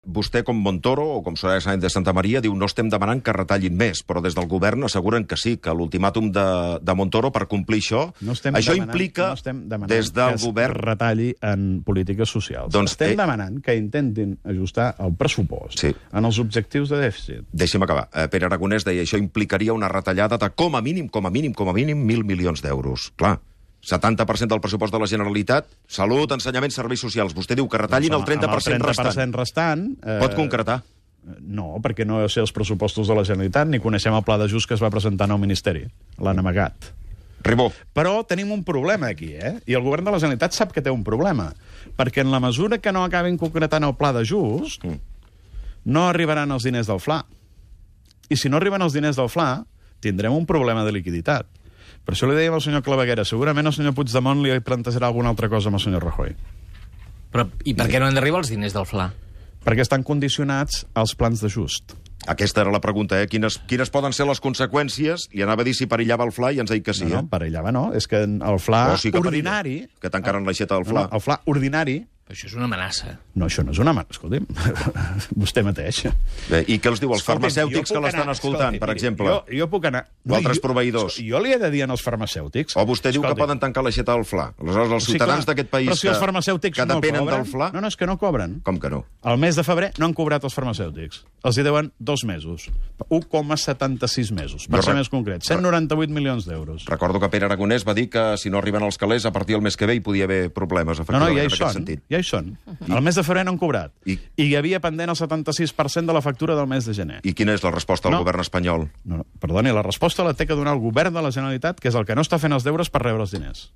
Vostè, com Montoro, o com Soraya Sáenz de Santamaría, diu no estem demanant que retallin més, però des del govern asseguren que sí, que l'ultimàtum de Montoro per complir això, això implica des del govern... que es retalli en polítiques socials. Doncs, estem demanant que intentin ajustar el pressupost en els objectius de dèficit. Deixi'm acabar. Pere Aragonès deia això implicaria una retallada de com a mínim 1.000 milions d'euros. Clar, 70% del pressupost de la Generalitat, salut, ensenyament, serveis socials. Vostè diu que retallin el 30% restant. Pot concretar? No, perquè no sé els pressupostos de la Generalitat, ni coneixem el pla d'ajust que es va presentar en el Ministeri. L'han amagat. Ribó. Però tenim un problema aquí, I el govern de la Generalitat sap que té un problema, perquè en la mesura que no acabin concretant el pla d'ajust, no arribaran els diners del FLA. I si no arriben els diners del FLA, tindrem un problema de liquiditat. Per això li dèiem al senyor Claveguera, segurament el senyor Puigdemont li plantejarà alguna altra cosa amb el senyor Rajoy. Però, i per què no han d'arribar els diners del FLA? Perquè estan condicionats als plans d'ajust. Aquesta era la pregunta, Quines poden ser les conseqüències? Li anava a dir si perillava el FLA i ens ha dit que sí, No, perillava no. És que el FLA ordinari... Que tancaren l'aixeta del FLA. El FLA ordinari... Això és una amenaça. No, això no és una amenaça. Escolti'm, vostè mateix. Bé, i què els diu als farmacèutics que l'estan escoltant, per exemple? Jo puc anar... O altres proveïdors. Jo li he de dir als farmacèutics... O vostè diu que poden tancar l'aixeta del FLA. Aleshores, els ciutadans d'aquest país que depenen del FLA... No, és que no cobren. Com que no? El mes de febrer no han cobrat els farmacèutics. Els hi deuen 2 mesos. 1,76 mesos, per ser més concret. 198 milions d'euros. Recordo que Pere Aragonès va dir que si no arriben els calés, a partir del mes que ve hi podia haver problemes, efectivament, en aquest sentit. Ja hi són. El mes de febrer no han cobrat. I hi havia pendent el 76% de la factura del mes de gener. I quina és la resposta del govern espanyol? No, perdoni, la resposta la té que donar el govern de la Generalitat, que és el que no està fent els deures per rebre els diners.